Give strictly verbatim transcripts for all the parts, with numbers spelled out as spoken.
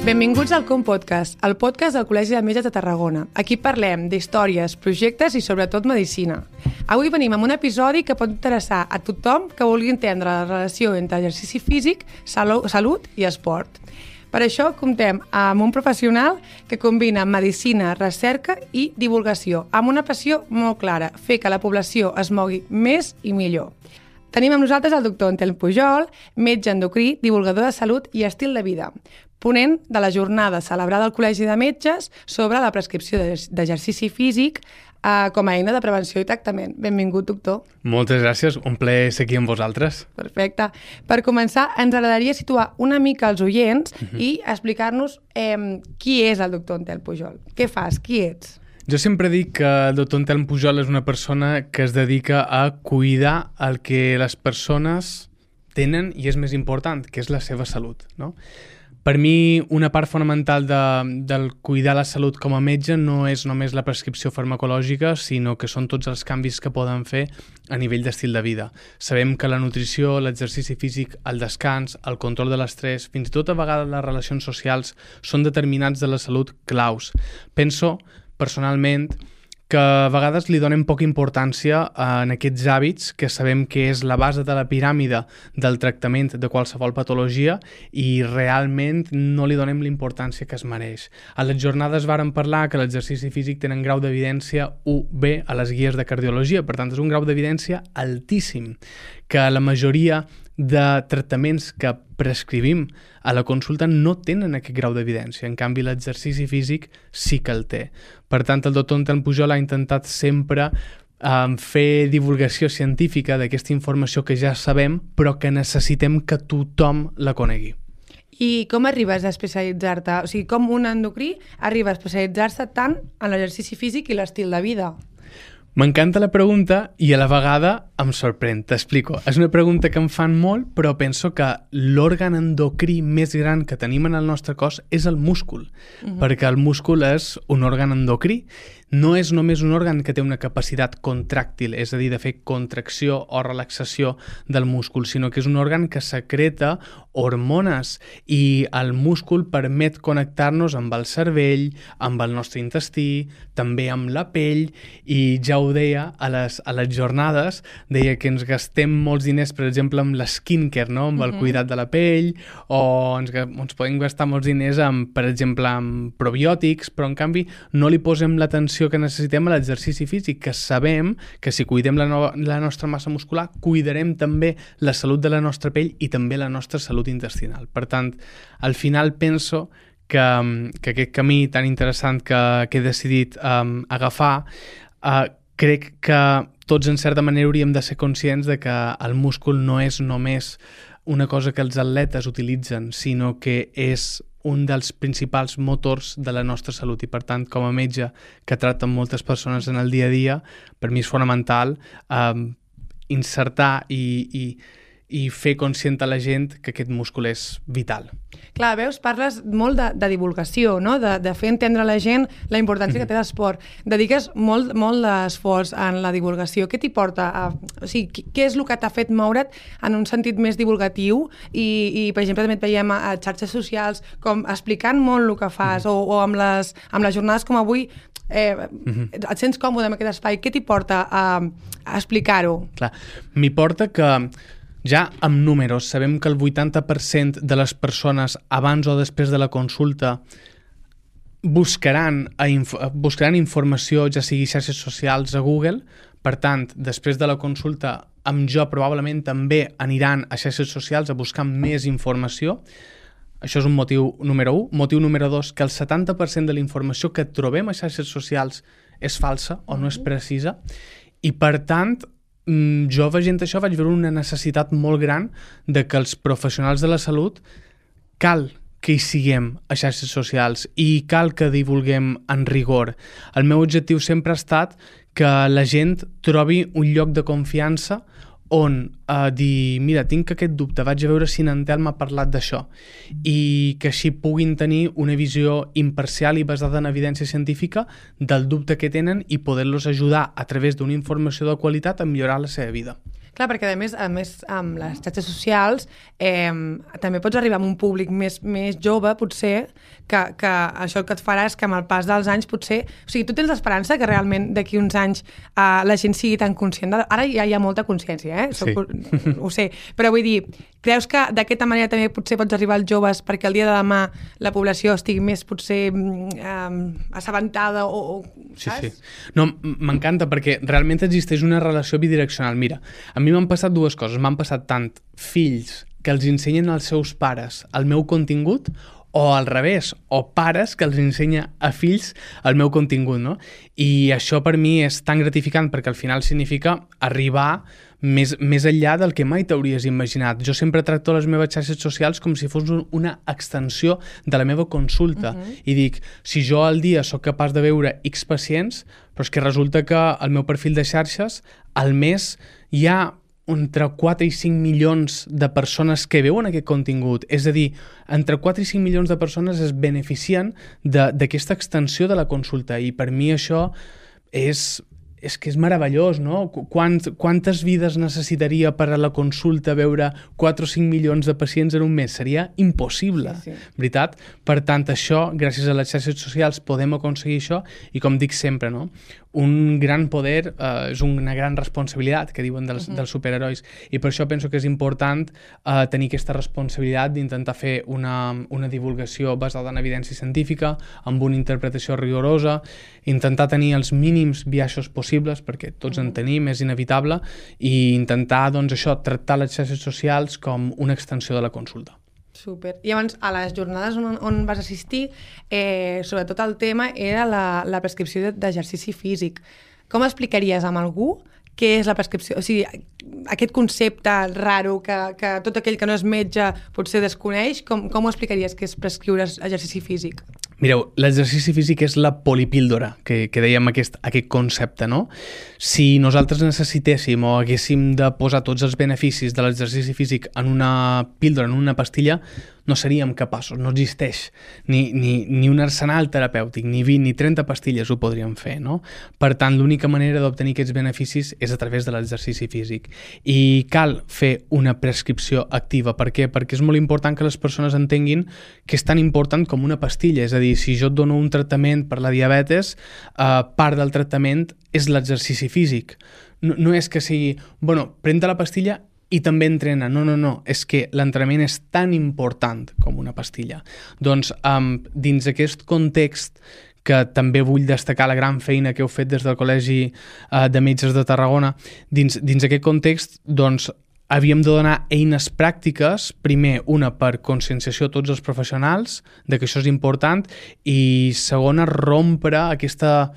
Benvinguts al Com Podcast, el podcast del Col·legi de Metges de Tarragona. Aquí parlem d'històries, projectes i sobretot medicina. Avui venim amb un episodi que pot interessar a tothom que vulgui entendre la relació entre exercici físic, salut i esport. Per això comptem amb un professional que combina medicina, recerca i divulgació, amb una passió molt clara, fer que la població es mogui més i millor. Tenim amb nosaltres el doctor Anselm Pujol, metge endocrí, divulgador de salut i estil de vida, ponent de la jornada celebrada al Col·legi de Metges sobre la prescripció d'exercici físic eh, com a eina de prevenció i tractament. Benvingut, doctor. Moltes gràcies, un plaer ser aquí amb vosaltres. Perfecte. Per començar, ens agradaria situar una mica els oients uh-huh. i explicar-nos eh, qui és el doctor Anselm Pujol. Què fas? Qui ets? Jo sempre dic que el doctor Anselm Pujol és una persona que es dedica a cuidar el que les persones tenen i és més important, que és la seva salut, no? Per mi, una part fonamental de, del cuidar la salut com a metge no és només la prescripció farmacològica, sinó que són tots els canvis que poden fer a nivell d'estil de vida. Sabem que la nutrició, l'exercici físic, el descans, el control de l'estrès, fins i tot a vegades les relacions socials són determinants de la salut claus. Penso, personalment, que a vegades li donem poca importància en aquests hàbits que sabem que és la base de la piràmide del tractament de qualsevol patologia i realment no li donem la importància que es mereix. A les jornades vàrem parlar que l'exercici físic tenen grau d'evidència u be a les guies de cardiologia, per tant és un grau d'evidència altíssim, que la majoria de tractaments que prescrivim a la consulta no tenen aquest grau d'evidència. En canvi, l'exercici físic sí que el té. Per tant, el doctor Anselm Pujol ha intentat sempre um, fer divulgació científica d'aquesta informació que ja sabem, però que necessitem que tothom la conegui. I com arribes a especialitzar-te? O sigui, com un endocrí arriba a especialitzar-se tant en l'exercici físic i l'estil de vida? M'encanta la pregunta i a la vegada em sorprèn, t'explico. És una pregunta que em fan molt, però penso que l'òrgan endocrí més gran que tenim en el nostre cos és el múscul, uh-huh. perquè el múscul és un òrgan endocrí. No és només un òrgan que té una capacitat contràctil, és a dir, de fer contracció o relaxació del múscul, sinó que és un òrgan que secreta hormones i el múscul permet connectar-nos amb el cervell, amb el nostre intestí, també amb la pell, i ja ho deia a les, a les jornades, deia que ens gastem molts diners, per exemple, amb l'skincare, no? amb el uh-huh. cuidat de la pell, o ens, ens podem gastar molts diners, amb, per exemple, amb probiòtics, però en canvi no li posem l'atenció que necessitem a l'exercici físic, que sabem que si cuidem la, no, la nostra massa muscular, cuidarem també la salut de la nostra pell i també la nostra salut intestinal. Per tant, al final penso que, que aquest camí tan interessant que, que he decidit um, agafar, uh, crec que tots en certa manera hauríem de ser conscients de que el múscul no és només una cosa que els atletes utilitzen, sinó que és un dels principals motors de la nostra salut i, per tant, com a metge que tracta amb moltes persones en el dia a dia, per mi és fonamental eh, insertar i, i, i fer conscient a la gent que aquest múscul és vital. Clar, veus, parles molt de, de divulgació, no? de, de fer entendre a la gent la importància mm-hmm. que té l'esport. Dediques molt, molt d'esforç en la divulgació. Què t'hi porta? A, o sigui, què és el que t'ha fet moure't en un sentit més divulgatiu? I, i per exemple, també et veiem a, a xarxes socials com explicant molt el que fas mm-hmm. o, o amb, les, amb les jornades com avui eh, mm-hmm. et sents còmode en aquest espai. Què t'hi porta a, a explicar-ho? Clar, m'hi porta que ja amb números sabem que el vuitanta per cent de les persones abans o després de la consulta buscaran, a inf buscaran informació, ja sigui xarxes socials a Google. Per tant, després de la consulta, amb jo probablement també aniran a xarxes socials a buscar més informació. Això és un motiu número u. Motiu número dos, que el setanta per cent de la informació que trobem a xarxes socials és falsa o no és precisa. I per tant, jo veient això vaig veure una necessitat molt gran de que els professionals de la salut cal que hi siguem a xarxes socials i cal que divulguem en rigor. El meu objectiu sempre ha estat que la gent trobi un lloc de confiança on uh, dir, mira, tinc aquest dubte, vaig a veure si n'Anselm m'ha parlat d'això, i que així puguin tenir una visió imparcial i basada en evidència científica del dubte que tenen i poder-los ajudar a través d'una informació de qualitat a millorar la seva vida. Clar, perquè a més, a més amb les xarxes socials eh, també pots arribar a un públic més, més jove, potser, que, que això el que et farà és que amb el pas dels anys potser... O sigui, tu tens l'esperança que realment d'aquí uns anys eh, la gent sigui tan conscient de... Ara ja hi ha molta consciència, eh? Soc, Sí. Ho sé, però vull dir, creus que d'aquesta manera també potser pots arribar als joves perquè el dia de demà la població estigui més potser eh, assabentada o... o Sí, saps? sí. No, m'encanta perquè realment existeix una relació bidireccional. Mira, a mi m'han passat dues coses. M'han passat tant fills que els ensenyen als seus pares el meu contingut o al revés, o pares que els ensenya a fills el meu contingut, no? I això per mi és tan gratificant perquè al final significa arribar més, més enllà del que mai t'hauries imaginat. Jo sempre tracto les meves xarxes socials com si fos una extensió de la meva consulta. Uh-huh. I dic, si jo al dia sóc capaç de veure X pacients, però és que resulta que al meu perfil de xarxes al mes hi ha entre quatre i cinc milions de persones que veuen aquest contingut. És a dir, entre quatre i cinc milions de persones es beneficien d'aquesta extensió de la consulta i per mi això és... és que és meravellós, no? Quant, quantes vides necessitaria per a la consulta veure quatre o cinc milions de pacients en un mes? Seria impossible, sí, sí. Veritat? Per tant, això, gràcies a les xarxes socials, podem aconseguir això i, com dic sempre, no? Un gran poder eh, és una gran responsabilitat, que diuen dels, uh-huh. dels superherois, i per això penso que és important eh, tenir aquesta responsabilitat d'intentar fer una, una divulgació basada en evidència científica, amb una interpretació rigorosa, intentar tenir els mínims biaixos possibles, perquè tots en tenim, és inevitable, i intentar, doncs, això, tractar les xarxes socials com una extensió de la consulta. Super. I llavors, a les jornades on, on vas assistir, eh, sobretot el tema era la, la prescripció d'exercici físic. Com explicaries amb algú què és la prescripció? O sigui, aquest concepte raro que, que tot aquell que no és metge potser desconeix, com, com ho explicaries que és prescriure exercici físic? Mireu, l'exercici físic és la polipíldora, que, que dèiem aquest, aquest concepte, no? Si nosaltres necessitéssim o haguéssim de posar tots els beneficis de l'exercici físic en una píldora, en una pastilla, no seríem capaços, no existeix ni, ni, ni un arsenal terapèutic, ni vint ni trenta pastilles ho podríem fer, no? Per tant, l'única manera d'obtenir aquests beneficis és a través de l'exercici físic. I cal fer una prescripció activa. Per què? Perquè és molt important que les persones entenguin que és tan important com una pastilla. És a dir, si jo et dono un tractament per la diabetes, eh, part del tractament és l'exercici físic. No, no és que sigui, bueno, pren-te la pastilla i també entrena. No, no, no. És que l'entrenament és tan important com una pastilla. Doncs, um, dins aquest context, que també vull destacar la gran feina que heu fet des del Col·legi uh, de Metges de Tarragona, dins, dins aquest context, doncs, havíem de donar eines pràctiques, primer, una per conscienciació a tots els professionals de que això és important, i segona, rompre aquesta...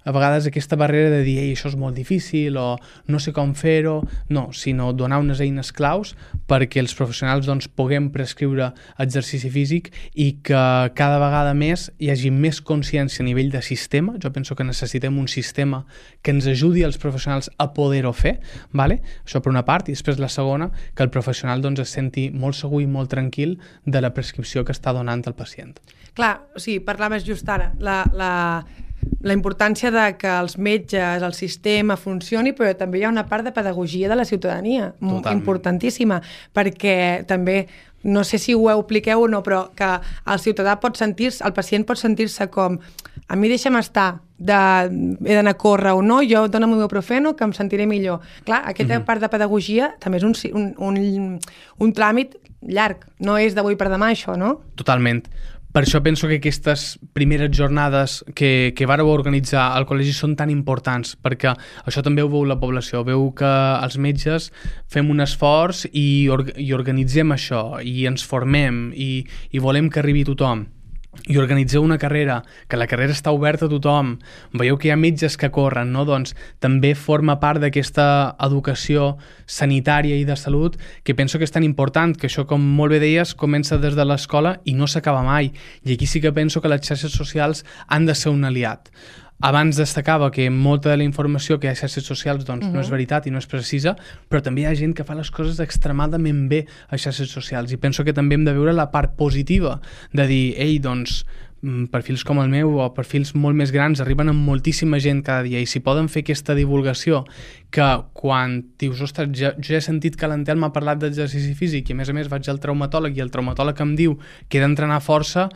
a vegades aquesta barrera de dir, ei, això és molt difícil o no sé com fer-ho, no, sinó donar unes eines claus perquè els professionals doncs, puguem prescriure exercici físic i que cada vegada més hi hagi més consciència a nivell de sistema. Jo penso que necessitem un sistema que ens ajudi als professionals a poder-ho fer, vale? Això per una part, i després la segona, que el professional doncs, es senti molt segur i molt tranquil de la prescripció que està donant el pacient. Clar, o sigui, parlaves just ara, la... la... la importància de que els metges, el sistema funcioni, però també hi ha una part de pedagogia de la ciutadania, Totalment. Importantíssima, perquè també, no sé si ho apliqueu o no, però que el ciutadà pot sentir-se, el pacient pot sentir-se com, a mi deixa'm estar, de, he d'anar a córrer o no, jo dona'm un ibuprofeno que em sentiré millor. Clar, aquesta mm-hmm. part de pedagogia també és un, un, un, un tràmit llarg, no és d'avui per demà això, no? Totalment. Per això penso que aquestes primeres jornades que, que vàreu organitzar al col·legi són tan importants, perquè això també ho veu la població, veu que els metges fem un esforç i, or i organitzem això, i ens formem, i, i volem que arribi a tothom. I organitzeu una carrera, que la carrera està oberta a tothom, veieu que hi ha metges que corren, no? Doncs també forma part d'aquesta educació sanitària i de salut que penso que és tan important, que això, com molt bé deies, comença des de l'escola i no s'acaba mai. I aquí sí que penso que les xarxes socials han de ser un aliat. Abans destacava que molta de la informació que hi ha a xarxes socials doncs, uh-huh. no és veritat i no és precisa, però també hi ha gent que fa les coses extremadament bé a xarxes socials, i penso que també hem de veure la part positiva de dir, ei, doncs, perfils com el meu o perfils molt més grans arriben amb moltíssima gent cada dia i si poden fer aquesta divulgació que quan dius, ostres, jo, jo he sentit que l'Antel m'ha parlat d'exercici físic i a més a més vaig al traumatòleg i el traumatòleg em diu que he d'entrenar força,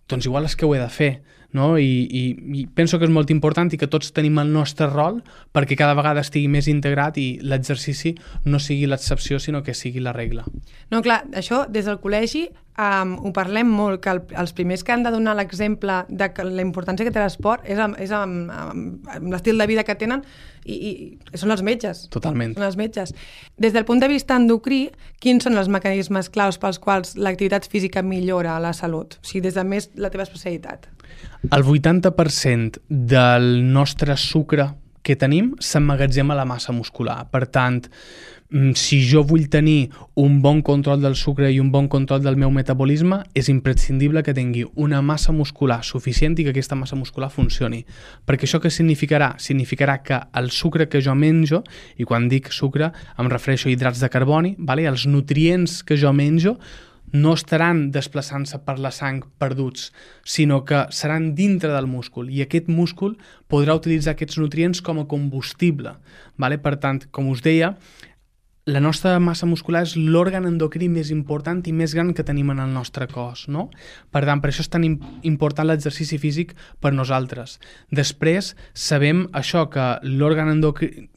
doncs igual és que ho he de fer, no? I, i, i penso que és molt important i que tots tenim el nostre rol perquè cada vegada estigui més integrat i l'exercici no sigui l'excepció sinó que sigui la regla. No, clar, això des del col·legi um, ho parlem molt, que el, els primers que han de donar l'exemple de que la importància que té l'esport és, amb, és amb, amb, amb l'estil de vida que tenen i, i són els metges. Totalment. Són els metges. Des del punt de vista endocrí, quins són els mecanismes claus pels quals l'activitat física millora la salut? O sigui, des de més la teva especialitat. El vuitanta per cent del nostre sucre que tenim s'emmagatzema a la massa muscular. Per tant, si jo vull tenir un bon control del sucre i un bon control del meu metabolisme, és imprescindible que tingui una massa muscular suficient i que aquesta massa muscular funcioni. Perquè això què significarà? Significarà que el sucre que jo menjo, i quan dic sucre em refereixo a hidrats de carboni, vale? Els nutrients que jo menjo no estaran desplaçant-se per la sang perduts, sinó que seran dintre del múscul i aquest múscul podrà utilitzar aquests nutrients com a combustible. Vale? Per tant, com us deia, la nostra massa muscular és l'òrgan endocrí més important i més gran que tenim en el nostre cos, no? Per tant, per això és tan important l'exercici físic per nosaltres. Després, sabem això, que l'òrgan endocrí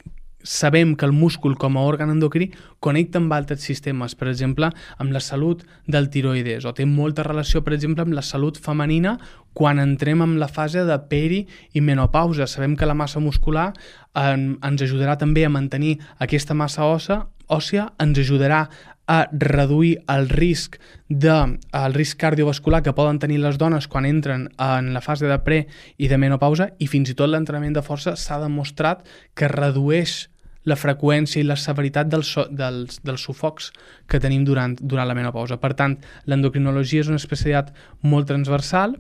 sabem que el múscul com a òrgan endocrí connecta amb altres sistemes, per exemple, amb la salut del tiroides, o té molta relació, per exemple, amb la salut femenina quan entrem en la fase de peri i menopausa. Sabem que la massa muscular en, ens ajudarà també a mantenir aquesta massa òssea, òssia, ens ajudarà a reduir el risc de, el risc cardiovascular que poden tenir les dones quan entren en la fase de pre i de menopausa, i fins i tot l'entrenament de força s'ha demostrat que redueix la freqüència i la severitat dels, dels, dels sufocs que tenim durant, durant la menopausa. Per tant, l'endocrinologia és una especialitat molt transversal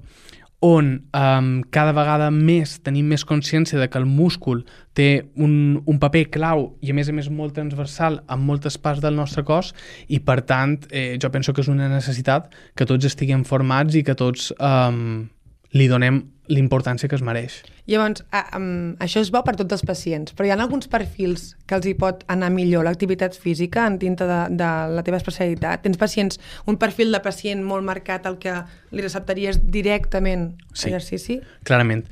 on um, cada vegada més tenim més consciència de que el múscul té un, un paper clau i a més a més molt transversal en moltes parts del nostre cos i per tant eh, jo penso que és una necessitat que tots estiguem formats i que tots um, li donem l'importància que es mereix. Llavors, a, um, això és bo per tots els pacients, però hi ha alguns perfils que els hi pot anar millor l'activitat física en dintre de, de la teva especialitat? Tens pacients, un perfil de pacient molt marcat al que li receptaries directament sí, exercici? Clarament.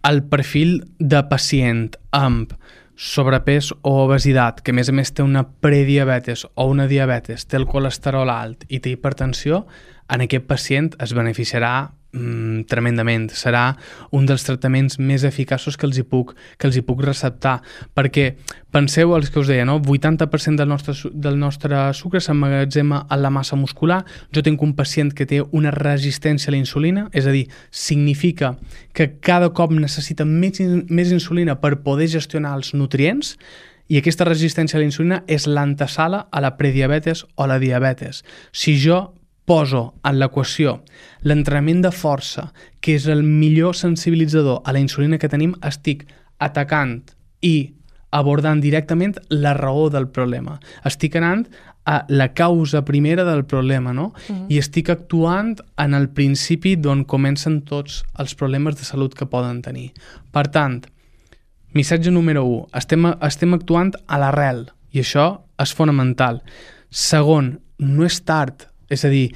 El perfil de pacient amb sobrepès o obesitat, que a més a més té una prediabetes o una diabetes, té el colesterol alt i té hipertensió, en aquest pacient es beneficiarà mm, tremendament. Serà un dels tractaments més eficaços que els hi puc, que els hi puc receptar. Perquè penseu el que us deia, no? vuitanta per cent del nostre, del nostre sucre s'emmagatzema a la massa muscular. Jo tinc un pacient que té una resistència a la insulina, és a dir, significa que cada cop necessita més, més insulina per poder gestionar els nutrients, i aquesta resistència a la insulina és l'antesala a la prediabetes o la diabetes. Si jo poso en l'equació l'entrenament de força, que és el millor sensibilitzador a la insulina que tenim, estic atacant i abordant directament la raó del problema. Estic anant a la causa primera del problema, no? Uh-huh. I estic actuant en el principi d'on comencen tots els problemes de salut que poden tenir. Per tant, missatge número u, estem, estem actuant a l'arrel, i això és fonamental. Segon, no és tard. És a dir,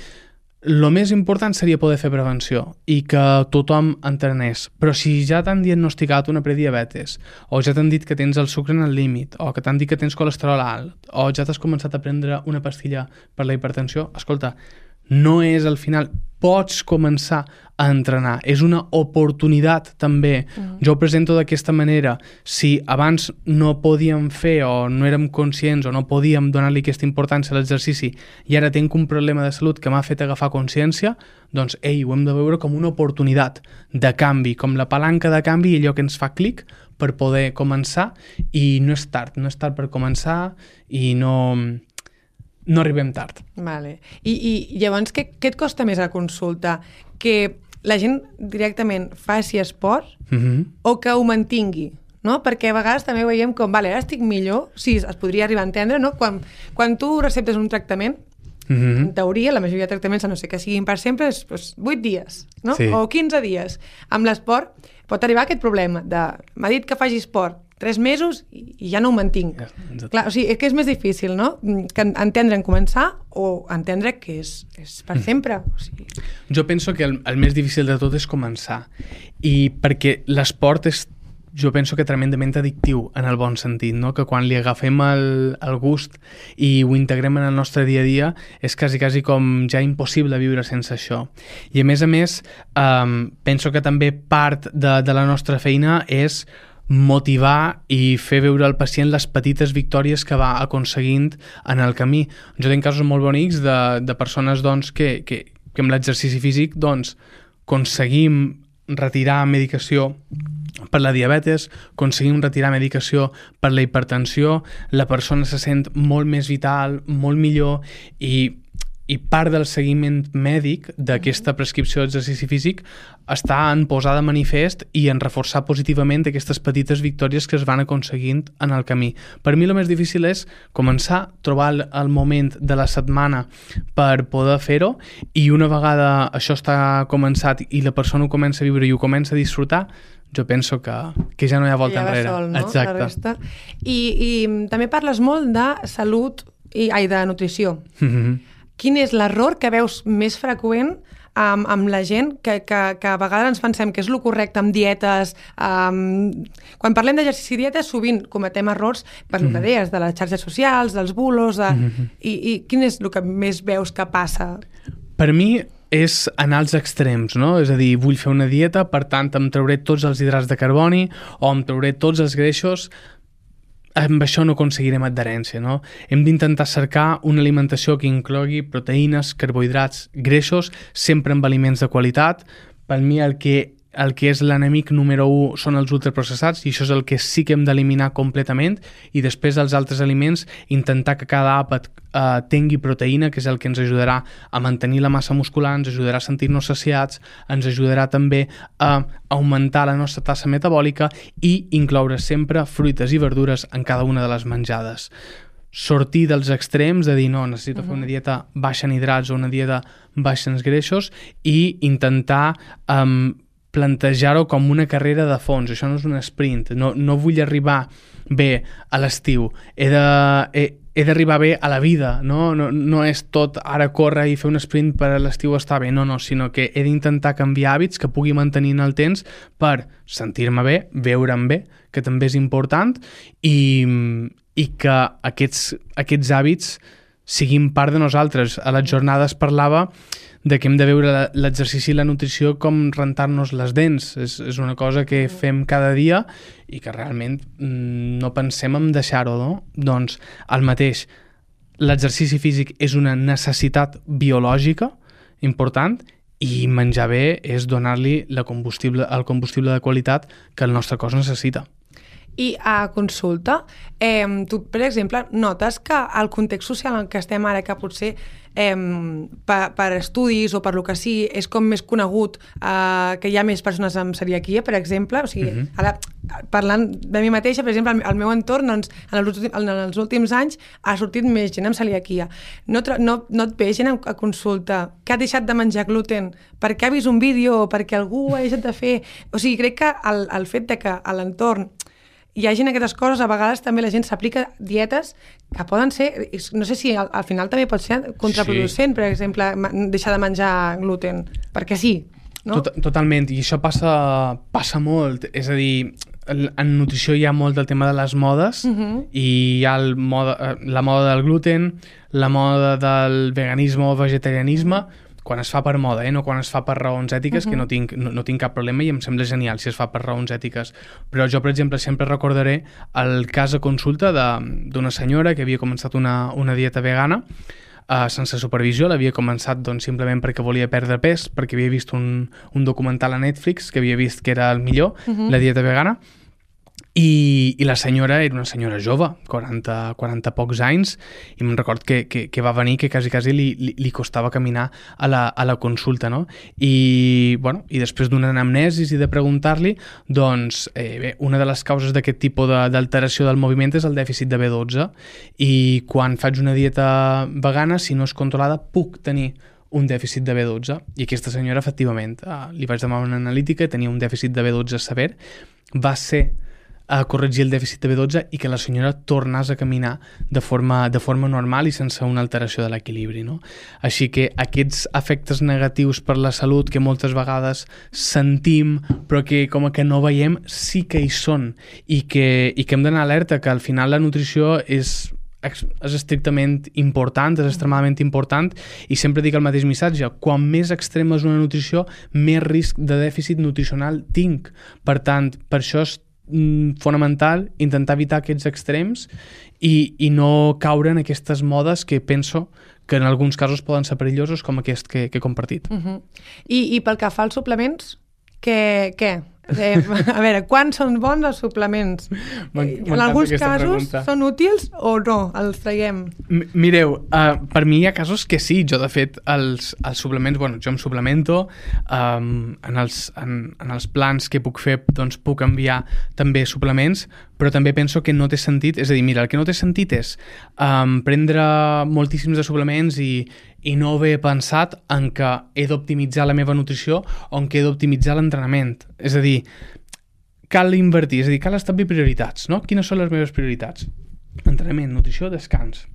el més important seria poder fer prevenció i que tothom entrenés. Però si ja t'han diagnosticat una prediabetes, o ja t'han dit que tens el sucre en el límit, o que t'han dit que tens colesterol alt, o ja t'has començat a prendre una pastilla per la hipertensió, escolta, no és el final. Pots començar a entrenar. És una oportunitat també. Mm. Jo ho presento d'aquesta manera. Si abans no podíem fer o no érem conscients o no podíem donar-li aquesta importància a l'exercici i ara tinc un problema de salut que m'ha fet agafar consciència, doncs, ei, ho hem de veure com una oportunitat de canvi, com la palanca de canvi i allò que ens fa clic per poder començar, i no és tard, no és tard per començar i no... no arribem tard. Vale. I, i llavors, què, què et costa més a consulta? Que la gent directament faci esport mm-hmm. o que ho mantingui? No? Perquè a vegades també veiem com, vale, ara estic millor, sí, es podria arribar a entendre, no? Quan, quan tu receptes un tractament, Mm-hmm. En teoria, la majoria de tractaments, a no sé que siguin per sempre, és doncs, vuit dies, no? Sí. O quinze dies. Amb l'esport pot arribar aquest problema de m'ha dit que faci esport tres mesos i, i ja no ho mantinc. Exacte. Clar, o sigui, és que és més difícil, no? Que entendre en començar o entendre que és, és per sempre. O sigui... Jo penso que el, el més difícil de tot és començar. I perquè l'esport és, jo penso que tremendament addictiu en el bon sentit, no? Que quan li agafem el, el gust i ho integrem en el nostre dia a dia és quasi, quasi com ja impossible viure sense això. I a més a més, um, penso que també part de, de la nostra feina és motivar i fer veure al pacient les petites victòries que va aconseguint en el camí. Jo tinc casos molt bonics de, de persones doncs, que, que, que amb l'exercici físic doncs, aconseguim retirar medicació per la diabetes, aconseguim retirar medicació per la hipertensió, la persona se sent molt més vital, molt millor i, i part del seguiment mèdic d'aquesta prescripció d'exercici físic està en posar de manifest i en reforçar positivament aquestes petites victòries que es van aconseguint en el camí. Per mi el més difícil és començar, trobar el, el moment de la setmana per poder fer-ho i una vegada això està començat i la persona ho comença a viure i ho comença a disfrutar, jo penso que, que ja no hi ha volta ja enrere. Sol, no? Exacte. La resta. I, I també parles molt de salut i ai, de nutrició. Mm-hmm. Quin és l'error que veus més freqüent amb, amb la gent que, que, que a vegades ens pensem que és el correcte amb dietes? Um, quan parlem d'exercici i dieta sovint cometem errors per mm-hmm. el que deies, de les xarxes socials, dels bulos, de... mm-hmm. I, i quin és el que més veus que passa? Per mi és anar als extrems, no? És a dir, vull fer una dieta, per tant em trauré tots els hidrats de carboni o em trauré tots els greixos. Amb això no aconseguirem adherència, no? Hem d'intentar cercar una alimentació que inclogui proteïnes, carbohidrats, greixos, sempre amb aliments de qualitat. Per mi el que el que és l'enemic número u són els ultraprocessats i això és el que sí que hem d'eliminar completament i després els altres aliments intentar que cada àpat eh, tingui proteïna, que és el que ens ajudarà a mantenir la massa muscular, ens ajudarà a sentir-nos saciats, ens ajudarà també a augmentar la nostra tassa metabòlica i incloure sempre fruites i verdures en cada una de les menjades. Sortir dels extrems de dir no, necessito uh-huh. fer una dieta baixa en hidrats o una dieta baixa en greixos i intentar um, plantejar-ho com una carrera de fons. Això no és un sprint. No, no vull arribar bé a l'estiu. He de, he, he d'arribar bé a la vida. No? No, no és tot ara córrer i fer un sprint per a l'estiu estar bé. No, no, sinó que he d'intentar canviar hàbits que pugui mantenir en el temps per sentir-me bé, veure'm bé, que també és important, i, i que aquests, aquests hàbits siguin part de nosaltres. A les jornades parlava de que hem de veure l'exercici i la nutrició com rentar-nos les dents. És, és una cosa que fem cada dia i que realment no pensem en deixar-ho, no? Doncs el mateix, l'exercici físic és una necessitat biològica important i menjar bé és donar-li la combustible, el combustible de qualitat que el nostre cos necessita. I a consulta, eh, tu, per exemple, notes que el context social en què estem ara, que potser eh, per, per estudis o per lo que sí, és com més conegut eh, que hi ha més persones amb celiaquia, per exemple, o sigui, uh-huh. ara, parlant de mi mateixa, per exemple, al meu entorn, doncs, en, els, en els últims anys ha sortit més gent amb celiaquia. No, no, no et ve gent a, a consulta que ha deixat de menjar gluten perquè ha vist un vídeo o perquè algú ha deixat de fer... O sigui, crec que el, el fet de que a l'entorn hi ha gent aquestes coses, a vegades també la gent s'aplica dietes que poden ser, no sé si al, al final també pot ser contraproducent, sí. Per exemple, deixar de menjar gluten, perquè sí, no? Tot, totalment, i això passa, passa molt, és a dir, en nutrició hi ha molt del tema de les modes, uh-huh. i hi ha el moda, la moda del gluten, la moda del veganisme o vegetarianisme, quan es fa per moda, eh? No quan es fa per raons ètiques, uh-huh. que no tinc, no, no tinc cap problema i em sembla genial si es fa per raons ètiques. Però jo, per exemple, sempre recordaré el cas a consulta d'una senyora que havia començat una, una dieta vegana uh, sense supervisió. L'havia començat doncs, simplement perquè volia perdre pes, perquè havia vist un, un documental a Netflix que havia vist que era el millor, uh-huh. la dieta vegana, I, i la senyora era una senyora jove, quaranta, quaranta pocs anys, i me'n record que, que, que va venir que quasi, quasi li, li, li costava caminar a la, a la consulta, no? I, bueno, i després d'una anamnesis i de preguntar-li, doncs, eh, bé, una de les causes d'aquest tipus de, d'alteració del moviment és el dèficit de B dotze, i quan faig una dieta vegana, si no és controlada, puc tenir un dèficit de B dotze, i aquesta senyora, efectivament, eh, li vaig demanar una analítica, tenia un dèficit de B dotze sever, va ser a corregir el dèficit de B dotze i que la senyora tornés a caminar de forma, de forma normal i sense una alteració de l'equilibri, no? Així que aquests efectes negatius per la salut que moltes vegades sentim però que com que no veiem, sí que hi són, i que, i que hem d'anar alerta que al final la nutrició és és estrictament important, és extremadament important, i sempre dic el mateix missatge: quan més extrema és una nutrició, més risc de dèficit nutricional tinc. Per tant, per això és mm, fonamental intentar evitar aquests extrems i, i no caure en aquestes modes que penso que en alguns casos poden ser perillosos, com aquest que, que he compartit. Uh-huh. I, I pel que fa als suplements, què? què? Eh, a veure, quan són bons els suplements? En alguns casos pregunta. Són útils o no? Els traiem? M mireu, uh, per mi hi ha casos que sí. Jo, de fet, els, els suplements, bueno, jo em suplemento, um, en, els, en, en els plans que puc fer, doncs puc enviar també suplements, però també penso que no té sentit, és a dir, mira, el que no té sentit és um, prendre moltíssims de suplements i, i no haver pensat en que he d'optimitzar la meva nutrició o en que he d'optimitzar l'entrenament. És a dir, cal invertir, és a dir, cal establir prioritats, no? Quines són les meves prioritats? Entrenament, nutrició, descans.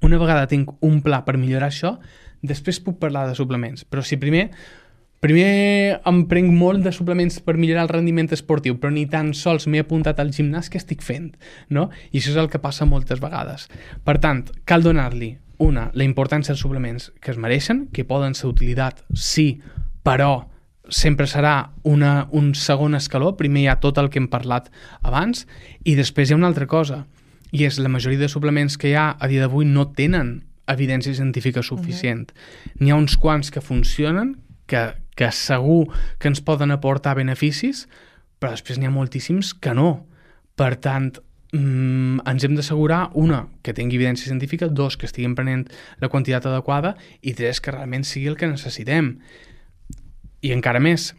Una vegada tinc un pla per millorar això, després puc parlar de suplements. Però si primer, primer em prenc molt de suplements per millorar el rendiment esportiu, però ni tan sols m'he apuntat al gimnàs que estic fent, no? I això és el que passa moltes vegades. Per tant, cal donar-li una, la importància dels suplements que es mereixen, que poden ser d'utilitat, sí, però sempre serà una, un segon escaló. Primer hi ha tot el que hem parlat abans i després hi ha una altra cosa, i és la majoria de suplements que hi ha a dia d'avui no tenen evidència científica suficient. Uh-huh. N'hi ha uns quants que funcionen, que, que segur que ens poden aportar beneficis, però després n'hi ha moltíssims que no. Per tant, mm, ens hem d'assegurar, una, que tingui evidència científica, dos, que estiguem prenent la quantitat adequada, i tres, que realment sigui el que necessitem. I encara més,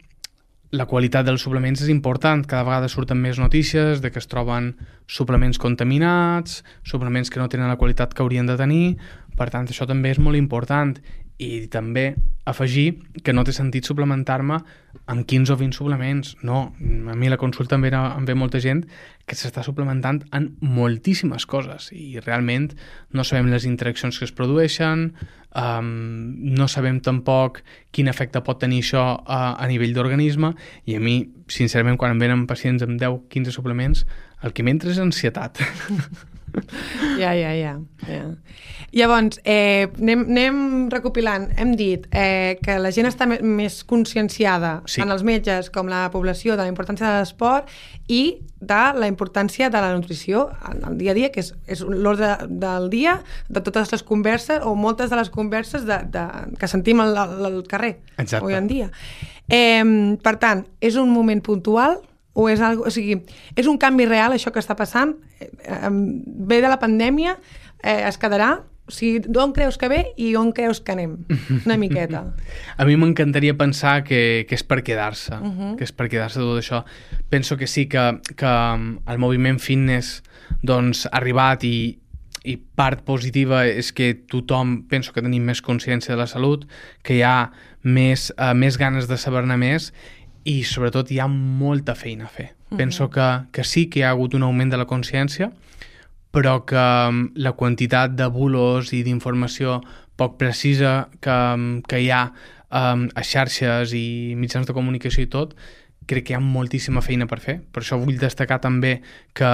la qualitat dels suplements és important. Cada vegada surten més notícies de que es troben suplements contaminats, suplements que no tenen la qualitat que haurien de tenir. Per tant, això també és molt important. I també afegir que no té sentit suplementar-me amb quinze o vint suplements. No, a mi la consulta em ve, em ve molta gent que s'està suplementant en moltíssimes coses i realment no sabem les interaccions que es produeixen, um, no sabem tampoc quin efecte pot tenir això a, a nivell d'organisme, i a mi, sincerament, quan em venen pacients amb deu o quinze suplements, el que m'entra és ansietat. Ja, ja, ja. ja. Llavors, eh, anem, anem recopilant. Hem dit eh, que la gent està més conscienciada, sí, en els metges com la població, de la importància de l'esport i de la importància de la nutrició en el dia a dia, que és, és l'ordre del dia de totes les converses o moltes de les converses de, de, que sentim al, al carrer. Exacte. Avui en dia. Eh, per tant, és un moment puntual o és, algo, o sigui, és un canvi real això que està passant? Eh, eh, ve de la pandèmia, eh, es quedarà? O sigui, d'on creus que ve i on creus que anem? Una miqueta. A mi m'encantaria pensar que, que és per quedar-se, uh-huh. que és per quedar-se tot això. Penso que sí, que, que el moviment fitness doncs, ha arribat i, i part positiva és que tothom, penso que tenim més consciència de la salut, que hi ha més, uh, més ganes de saber-ne més, i sobretot hi ha molta feina a fer. Uh-huh. Penso que, que sí que hi ha hagut un augment de la consciència, però que la quantitat de bulos i d'informació poc precisa que, que hi ha um, a xarxes i mitjans de comunicació i tot, crec que hi ha moltíssima feina per fer. Per això vull destacar també que,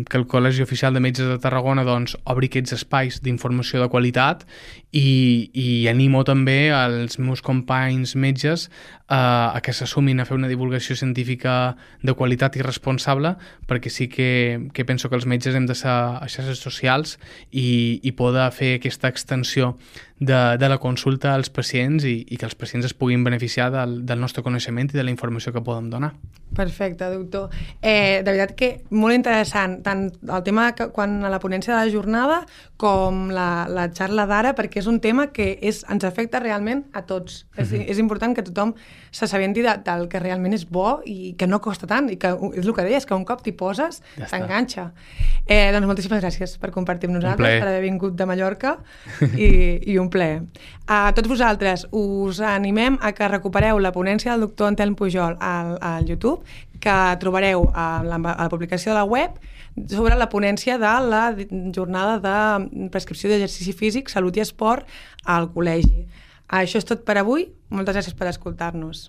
que el Col·legi Oficial de Metges de Tarragona doncs, obri aquests espais d'informació de qualitat i, i animo també als meus companys metges uh, a que s'assumin a fer una divulgació científica de qualitat i responsable, perquè sí que, que penso que els metges hem de ser a xarxes socials i, i poder fer aquesta extensió de, de la consulta als pacients i, i que els pacients es puguin beneficiar del, del nostre coneixement i de la informació que podem donar. Perfecte, doctor. Eh, de veritat que molt interessant, tant el tema que, quan a la ponència de la jornada com la, la xarra d'ara, perquè és un tema que és, ens afecta realment a tots. Mm-hmm. És, és important que tothom s'assabenti de, del que realment és bo i que no costa tant, i que és el que deies, que un cop t'hi poses, ja t'enganxa. Eh, doncs moltíssimes gràcies per compartir amb nosaltres, per haver vingut de Mallorca, i, i un plaer. A tots vosaltres us animem a que recupereu la ponència del doctor Anselm Pujol al, al YouTube, que trobareu a la, a la publicació de la web sobre la ponència de la jornada de prescripció d'exercici físic, salut i esport al col·legi. Això és tot per avui. Moltes gràcies per escoltar-nos.